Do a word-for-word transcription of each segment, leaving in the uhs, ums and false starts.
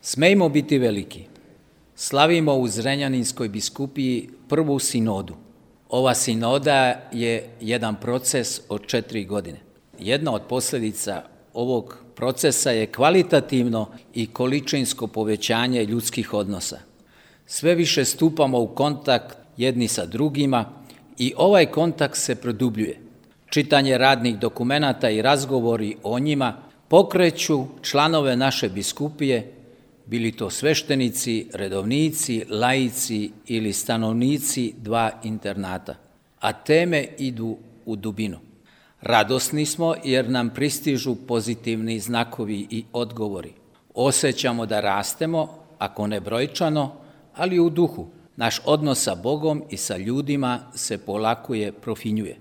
Smejmo biti veliki. Slavimo u Zrenjaninskoj biskupiji prvu sinodu. Ova sinoda je jedan proces od četiri godine. Jedna od posljedica ovog procesa je kvalitativno i količinsko povećanje ljudskih odnosa. Sve više stupamo u kontakt jedni sa drugima i ovaj kontakt se produbljuje. Čitanje radnih dokumenata i razgovori o njima pokreću članove naše biskupije, bili to sveštenici, redovnici, laici ili stanovnici dva internata, a teme idu u dubinu. Radosni smo jer nam pristižu pozitivni znakovi i odgovori. Osjećamo da rastemo, ako ne brojčano, ali u duhu. Naš odnos sa Bogom i sa ljudima se polako profinjuje.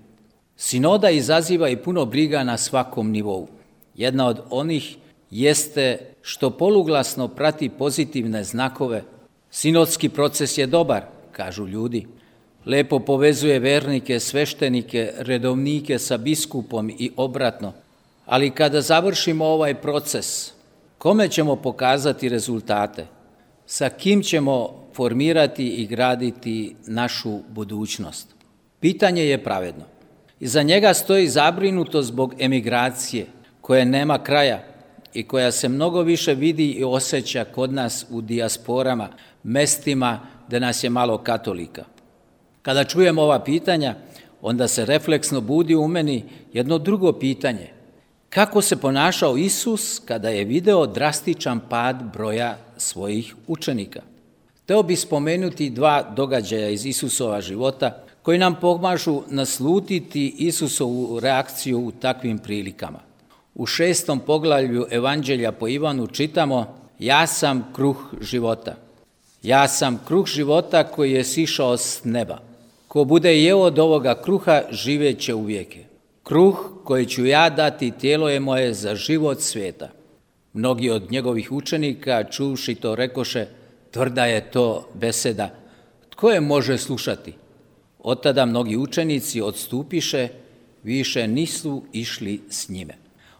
Sinoda izaziva i puno briga na svakom nivou. Jedna od onih jeste što poluglasno prati pozitivne znakove. Sinodski proces je dobar, kažu ljudi. Lepo povezuje vernike, sveštenike, redovnike sa biskupom i obratno. Ali kada završimo ovaj proces, kome ćemo pokazati rezultate? Sa kim ćemo formirati i graditi našu budućnost? Pitanje je pravedno. Iza njega stoji zabrinutost zbog emigracije, koje nema kraja i koja se mnogo više vidi i osjeća kod nas u dijasporama, mestima gdje nas je malo katolika. Kada čujemo ova pitanja, onda se refleksno budi u meni jedno drugo pitanje. Kako se ponašao Isus kada je video drastičan pad broja svojih učenika? Hteo bih spomenuti dva događaja iz Isusova života koji nam pomažu naslutiti Isusovu reakciju u takvim prilikama. U šestom poglavlju Evanđelja po Ivanu čitamo: Ja sam kruh života. Ja sam kruh života koji je sišao s neba. Ko bude jeo od ovoga kruha, živjet će uvijek. Kruh koji ću ja dati, tijelo je moje za život svijeta. Mnogi od njegovih učenika, čuvši to, rekoše: Tvrda je to beseda. Tko je može slušati? Od tada mnogi učenici odstupiše, više nisu išli s njime.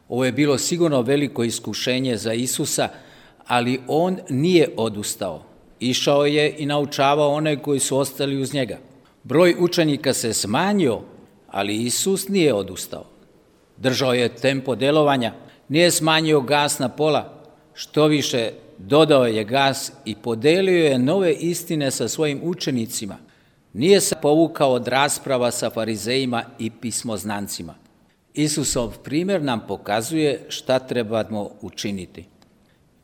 Ovo je bilo sigurno veliko iskušenje za Isusa, ali on nije odustao. Išao je i naučavao one koji su ostali uz njega. Broj učenika se smanjio, ali Isus nije odustao. Držao je tempo djelovanja, nije smanjio gas na pola, što više dodao je gas i podelio je nove istine sa svojim učenicima. Nije se povukao od rasprava sa farizejima i pismoznancima. Isusov primjer nam pokazuje šta trebamo učiniti.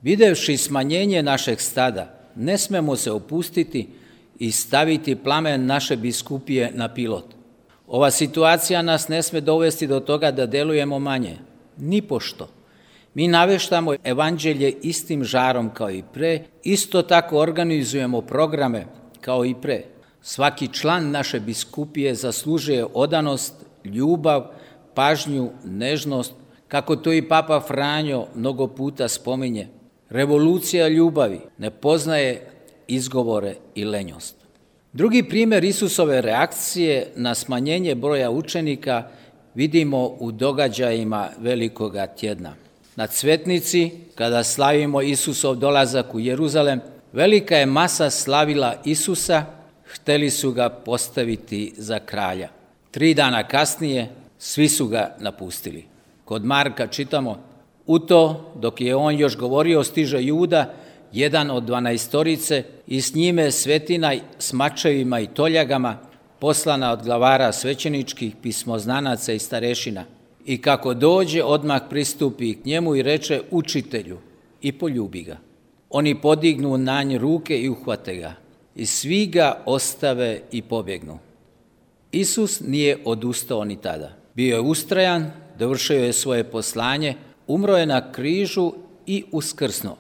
Videvši smanjenje našeg stada, ne smemo se opustiti i staviti plamen naše biskupije na pilot. Ova situacija nas ne sme dovesti do toga da delujemo manje, nipošto. Mi naveštamo evanđelje istim žarom kao i pre, isto tako organizujemo programe kao i pre. Svaki član naše biskupije zaslužuje odanost, ljubav, pažnju, nežnost, kako to i Papa Franjo mnogo puta spominje. Revolucija ljubavi ne poznaje izgovore i lenjost. Drugi primjer Isusove reakcije na smanjenje broja učenika vidimo u događajima Velikoga tjedna. Na Cvetnici, kada slavimo Isusov dolazak u Jeruzalem, velika je masa slavila Isusa, hteli su ga postaviti za kralja. Tri dana kasnije svi su ga napustili. Kod Marka čitamo: U to, dok je on još govorio, stiže Juda, jedan od dvanaestorice, i s njime svetina s mačevima i toljagama, poslana od glavara svećeničkih, pismoznanaca i starešina. I kako dođe, odmah pristupi k njemu i reče: Učitelju, i poljubi ga. Oni podignu na nj ruke i uhvate ga. I svi ga ostave i pobjegnu. Isus nije odustao ni tada. Bio je ustrajan, dovršio je svoje poslanje, umro je na križu i uskrsnuo.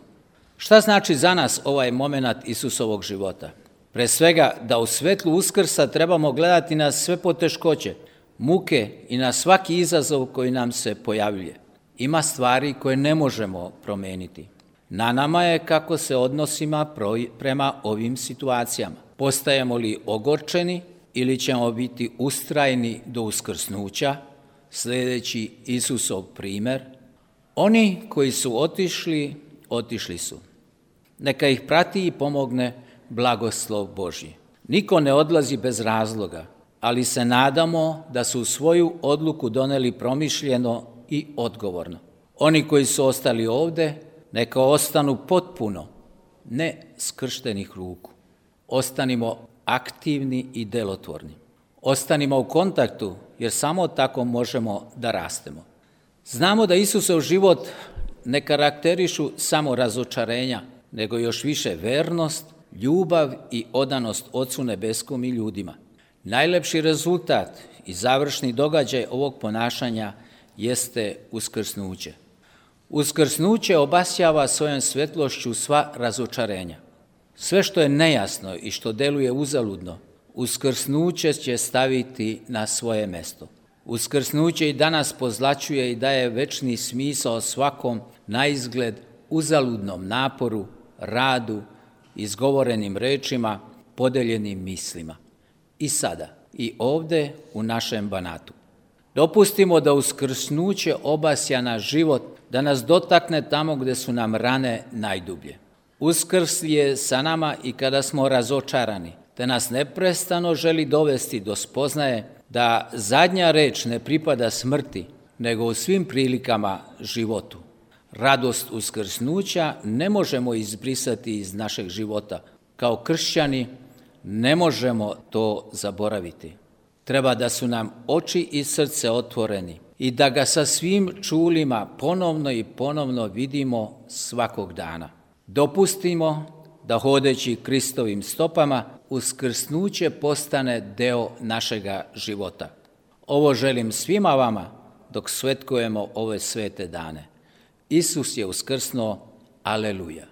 Šta znači za nas ovaj moment Isusovog života? Pre svega da u svetlu uskrsa trebamo gledati na sve poteškoće, muke i na svaki izazov koji nam se pojavljuje. Ima stvari koje ne možemo promeniti. Na nama je kako se odnosimo prema ovim situacijama. Postajemo li ogorčeni ili ćemo biti ustrajni do uskrsnuća, sljedeći Isusov primjer? Oni koji su otišli, otišli su. Neka ih prati i pomogne blagoslov Božji. Niko ne odlazi bez razloga, ali se nadamo da su svoju odluku doneli promišljeno i odgovorno. Oni koji su ostali ovde, neka ostanu potpuno, ne skrštenih ruku. Ostanimo aktivni i delotvorni. Ostanimo u kontaktu, jer samo tako možemo da rastemo. Znamo da Isusov život ne karakterišu samo razočarenja, nego još više vernost, ljubav i odanost Ocu nebeskom i ljudima. Najlepši rezultat i završni događaj ovog ponašanja jeste uskrsnuće. Uskrsnuće obasjava svojom svetlošću sva razočarenja. Sve što je nejasno i što deluje uzaludno, uskrsnuće će staviti na svoje mesto. Uskrsnuće i danas pozlaćuje i daje večni smisao svakom naizgled uzaludnom naporu, radu, izgovorenim rečima, podeljenim mislima. I sada, i ovde u našem Banatu. Dopustimo da uskrsnuće obasja naš život, da nas dotakne tamo gde su nam rane najdublje. Uskrs je sa nama i kada smo razočarani, te nas neprestano želi dovesti do spoznaje da zadnja reč ne pripada smrti, nego u svim prilikama životu. Radost uskrsnuća ne možemo izbrisati iz našeg života. Kao kršćani ne možemo to zaboraviti. Treba da su nam oči i srce otvoreni i da ga sa svim čulima ponovno i ponovno vidimo svakog dana. Dopustimo da hodeći Kristovim stopama uskrsnuće postane deo našega života. Ovo želim svima vama dok svetkujemo ove svete dane. Isus je uskrsnuo, aleluja.